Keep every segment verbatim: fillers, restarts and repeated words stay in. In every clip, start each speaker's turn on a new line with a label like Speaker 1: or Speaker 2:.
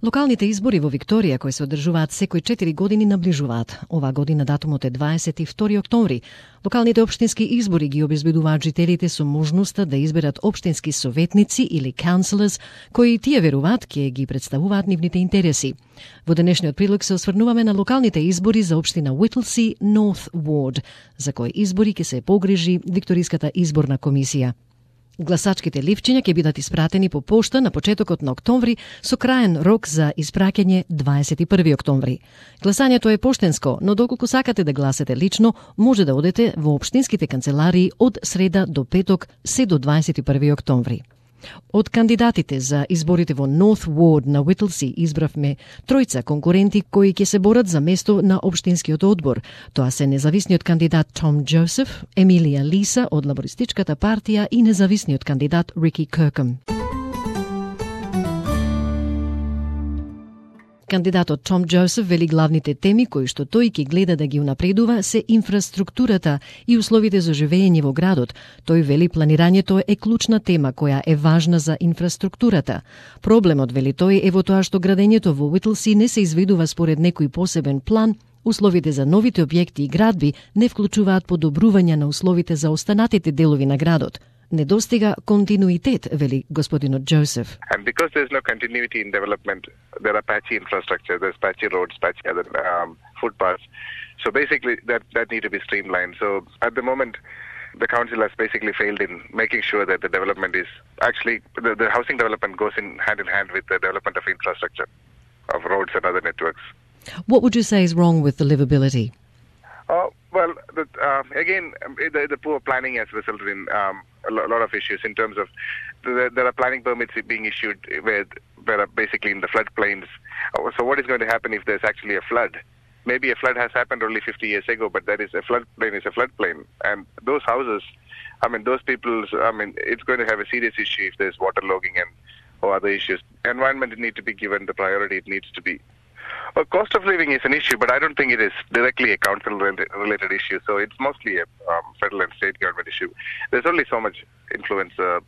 Speaker 1: Локалните избори во Викторија, кои се одржуваат секој четири години, наближуваат. Ова година датумот е дваесет и втори октомври. Локалните општински избори ги обезбедуваат жителите со можноста да изберат општински советници или councillors, кои тие веруваат ќе ги представуваат нивните интереси. Во денешниот прилог се осврнуваме на локалните избори за општина Whittlesea North Ward, за кои избори ќе се погрижи Викториската изборна комисија. Гласачките ливчиња ќе бидат испратени по пошта на почетокот на октомври со краен рок за испраќање дваесет и први октомври. Гласањето е поштенско, но доколку сакате да гласате лично, може да одете во општинските канцеларии од среда до петок се до дваесет и први октомври. Од кандидатите за изборите во North Ward на Whittlesea избравме тројца конкуренти кои ќе се борат за место на општинскиот одбор. Тоа се независниот кандидат Том Джозеф, Емилија Лиса од Лабористичката партија и независниот кандидат Рики Киркъм. Кандидатот Том Джозеф вели главните теми кои што тој ќе гледа да ги унапредува се инфраструктурата и условите за живење во градот. Тој вели планирањето е клучна тема која е важна за инфраструктурата. Проблемот, вели тој, е во тоа што градењето во Whittlesea не се изведува според некој посебен план. Условите за новите објекти и градби не вклучуваат подобрување на условите за останатите делови на градот. Недостига континуитет, вели господинот Джозеф.
Speaker 2: And because there's no continuity in development, there are patchy infrastructure, there's patchy roads, patchy other um, footpaths. So basically that, that need to be streamlined. So at the moment, the council has basically failed in making sure that the development is actually, the, the housing development goes in hand in hand with the development of infrastructure, of roads and other networks.
Speaker 1: What would you say is wrong with the livability?
Speaker 2: Oh, well, the, uh, again, the, the poor planning has resulted in um, a lot of issues in terms of the, there are planning permits being issued where there are basically in the floodplains. So what is going to happen if there's actually a flood? Maybe a flood has happened only fifty years ago, but that is a floodplain is a floodplain. And those houses, I mean, those people's, I mean, it's going to have a serious issue if there's waterlogging and or other issues. Environment need to be given the priority it needs to be. Well, cost of living is an issue, but I don't think it is directly a council-related issue. So it's mostly a um, federal and state government issue. There's only so much influence uh,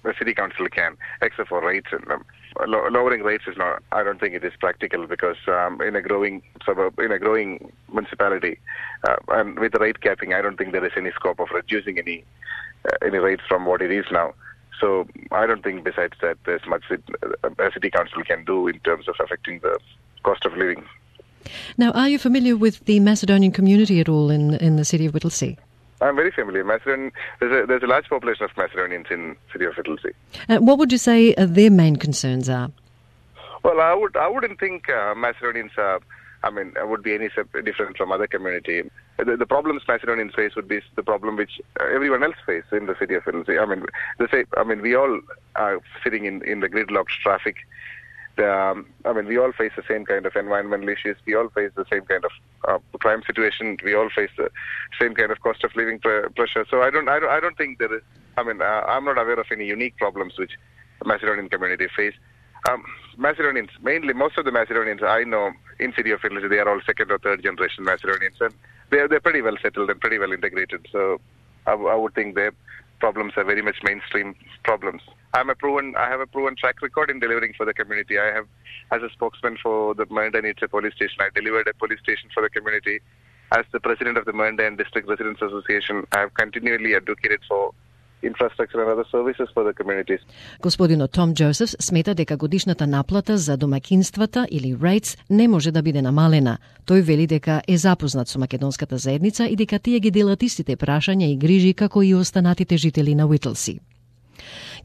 Speaker 2: a city council can, except for rates. And um, lo- lowering rates is not. I don't think it is practical because um, in a growing suburb, in a growing municipality, uh, and with the rate capping, I don't think there is any scope of reducing any uh, any rates from what it is now. So I don't think besides that there's much it, uh, a city council can do in terms of affecting the cost of living.
Speaker 1: Now, are you familiar with the Macedonian community at all in in the city of Whittlesea?
Speaker 2: I'm very familiar. Macedonian, there's a there's a large population of Macedonians in the city of Whittlesea.
Speaker 1: Uh, what would you say uh, their main concerns are?
Speaker 2: Well, I would I wouldn't think uh, Macedonians are. I mean, would be any different from other community. The, the problems Macedonians face would be the problem which everyone else face in the city of Whittlesea. I mean, the same. I mean, we all are sitting in in the gridlocked traffic. Um, I mean, we all face the same kind of environmental issues. We all face the same kind of uh, crime situation. We all face the same kind of cost of living pr- pressure. So I don't, I don't, I don't think there is. I mean, uh, I'm not aware of any unique problems which the Macedonian community face. Um, Macedonians, mainly most of the Macedonians I know in city of Whittlesea, they are all second or third generation Macedonians, and they're they're pretty well settled and pretty well integrated. So I, w- I would think their problems are very much mainstream problems. I'm a proven, I have a proven track record in delivering for the community. I have, as a spokesman for the Mernda Police Station, I delivered a police station for the community. As the president of the Mernda District Residents Association, I have continually advocated for infrastructure and other services for the communities.
Speaker 1: Господинот Том Джозеф смета дека годишната наплата за домаќинствата или rates не може да биде намалена. Тој вели дека е запознат со македонската заедница и дека тие ги делат истите прашања и грижи како и останатите жители на Whittlesea.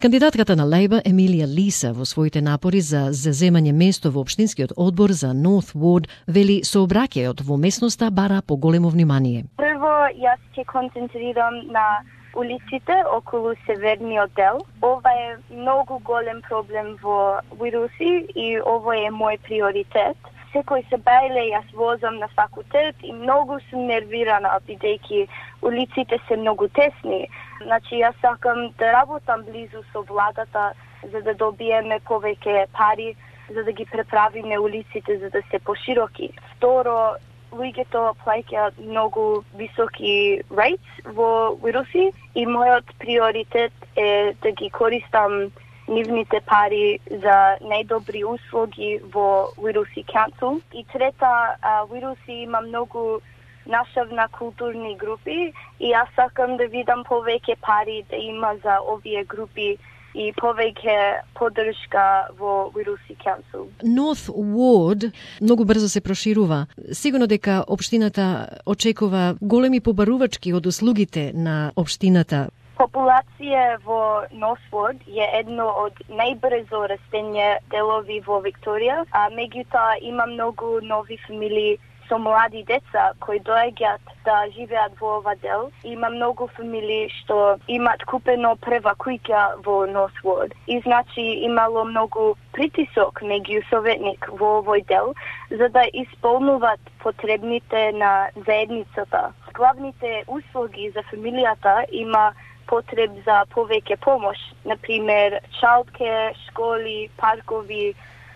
Speaker 1: Кандидатката на Лейбър Емилија Лиса во своите напори за заземање место во општинскиот одбор за North Ward вели сообраќајот во местноста бара поголемо внимание.
Speaker 3: Прво, јас ќе концентрирам на улиците околу северниот дел. Ова е многу голем проблем во Whittlesea и ова е мој приоритет. Секој се бајле, јас возам на факултет и многу сум нервирана, бидејќи улиците се многу тесни. Значи, јас сакам да работам близу со владата, за да добиеме повеќе пари, за да ги преправиме улиците, за да се пошироки. Второ, луѓето плаќаат многу високи rates во Whittlesea и мојот приоритет е да ги користам нивните пари за најдобри услуги во Whittlesea Council. И трета, Whittlesea има многу нашавна културни групи и јас сакам да видам повеќе пари да има за овие групи и повеќе поддршка во Whittlesea Council.
Speaker 1: North Ward многу брзо се проширува. Сигурно дека општината очекува големи побарувачки од услугите на општината.
Speaker 3: Популација во North Ward е едно од најбрзо растење делови во Викторија, а меѓутоа има многу нови фамилии со млади деца кои доаѓаат да живеат во ова дел. Има многу фамилии што имат купено прва куќа во North Ward. И значи имало многу притисок меѓу советник во овој дел за да исполнуваат потребните на заедницата. Главните услуги за фамилијата има потреб за повеќе помош, например childcare, школи, паркови,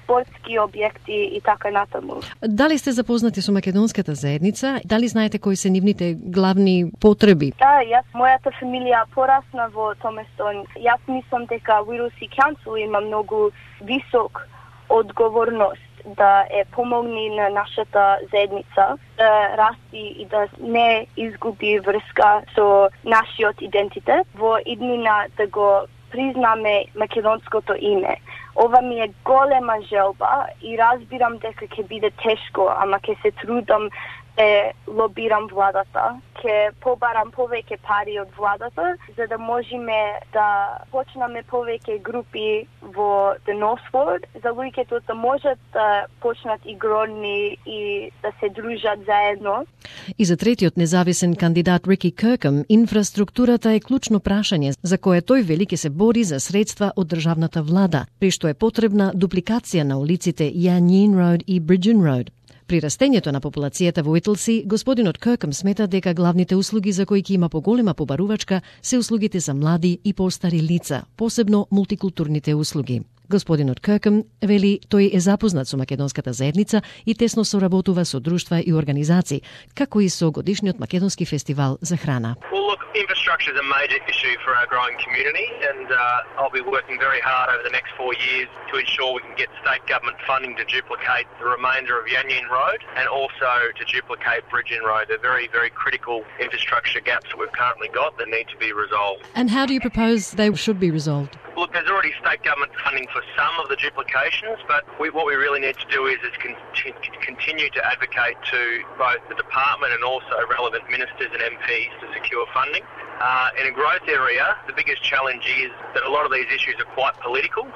Speaker 3: спортски објекти и така натаму.
Speaker 1: Дали сте запознати со македонската заедница? Дали знаете кои се нивните главни потреби?
Speaker 3: Да, јас, мојата фамилија порасна во Томестон. Јас мислам дека Whittlesea Council има многу висок одговорност да е помогни на нашата заедница да расти и да не изгуби врска со нашиот идентитет во иднина да го признаме македонското име. Ова ми е голема желба и разбирам дека ќе биде тешко, ама ќе се трудам да лобирам владата, ќе побарам повеќе пари од владата, за да можеме да почнеме повеќе групи во The North Ward, за луѓето да можат да почнат игрорни и да се дружат заедно.
Speaker 1: И за третиот независен кандидат Рики Киркъм, инфраструктурата е клучно прашање за кое тој вели ќе се бори за средства од државната влада, при што е потребна дупликација на улиците Yanyin Road и Bridgen Road. При растењето на популацијата во Whittlesea, господинот Киркъм смета дека главните услуги за кои ќе има поголема побарувачка се услугите за млади и постари лица, посебно мултикултурните услуги. Господинот Киркъм вели тој е запознат со македонската заедница и тесно соработува со друштва и организации, како и со годишниот македонски фестивал за храна.
Speaker 4: Well, look, infrastructure is a major issue for our growing community, and uh, I'll be working very hard over the next four years to ensure we can get state government funding to duplicate the remainder of Yanyin Road and also to duplicate Bridgen Road. They're very, very critical infrastructure gaps that we've currently got that need to be resolved.
Speaker 1: And how do you propose they should be resolved?
Speaker 4: Look, there's already state government funding for some of the duplications, but we, what we really need to do is, is conti- continue to advocate to both the department and also relevant ministers and M Ps to secure funding. Uh, in a growth area, the biggest challenge is that a lot of these issues are quite political,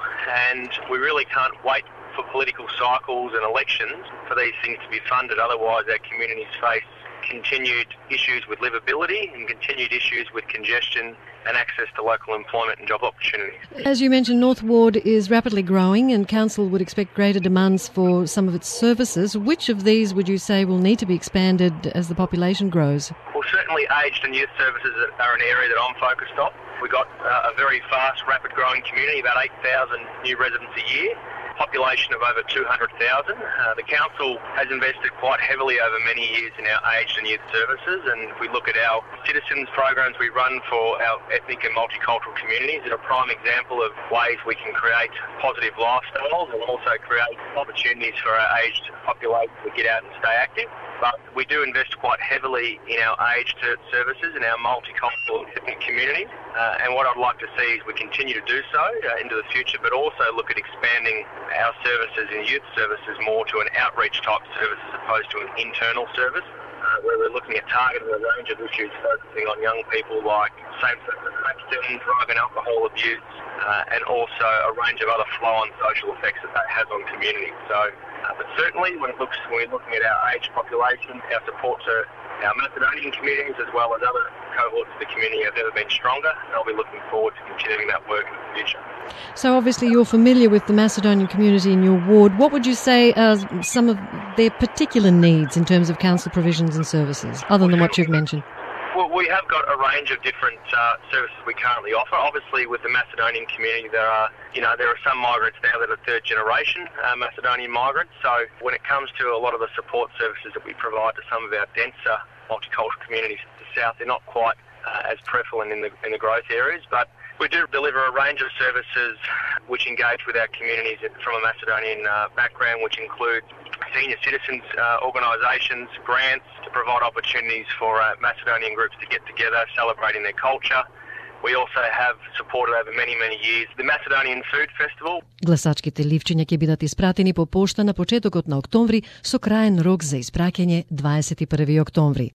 Speaker 4: and we really can't wait for political cycles and elections for these things to be funded. Otherwise, our communities face continued issues with livability and continued issues with congestion and access to local employment and job opportunities.
Speaker 1: As you mentioned, North Ward is rapidly growing and Council would expect greater demands for some of its services. Which of these would you say will need to be expanded as the population grows?
Speaker 4: Well, certainly aged and youth services are an area that I'm focused on. We've got uh, a very fast, rapid growing community, about eight thousand new residents a year. Population of over two hundred thousand. Uh, the council has invested quite heavily over many years in our aged and youth services, and if we look at our citizens programs we run for our ethnic and multicultural communities, they're a prime example of ways we can create positive lifestyles and also create opportunities for our aged population to get out and stay active. But we do invest quite heavily in our aged services and our multicultural ethnic communities. Uh, and what I'd like to see is we continue to do so uh, into the future, but also look at expanding our services and youth services more to an outreach type service as opposed to an internal service, uh, where we're looking at targeting a range of issues focusing on young people like same-sex attraction, drug and alcohol abuse, uh, and also a range of other flow-on social effects that that has on communities. So, uh, but certainly when, it looks, when we're looking at our aged population, our support to our Macedonian communities as well as other cohorts of the community have never been stronger, and I'll be looking forward to continuing that work in the future.
Speaker 1: So obviously you're familiar with the Macedonian community in your ward. What would you say are some of their particular needs in terms of council provisions and services, other than what you've mentioned?
Speaker 4: Well, we have got a range of different uh, services we currently offer. Obviously, with the Macedonian community, there are, you know, there are some migrants now that are third generation uh, Macedonian migrants. So when it comes to a lot of the support services that we provide to some of our denser multicultural communities to the south, they're not quite uh, as prevalent in the in the growth areas. But We do deliver a range of services which engage with our communities from a Macedonian uh, background, which include senior citizens uh, organisations, grants to provide opportunities for uh, Macedonian groups to get together, celebrating their culture. We also have supported over many, many years the Macedonian Food Festival.
Speaker 1: Гласачките ливчиња ќе бидат испратени по пошта на почетокот на октомври со краен рок за испраќање дваесет и први октомври.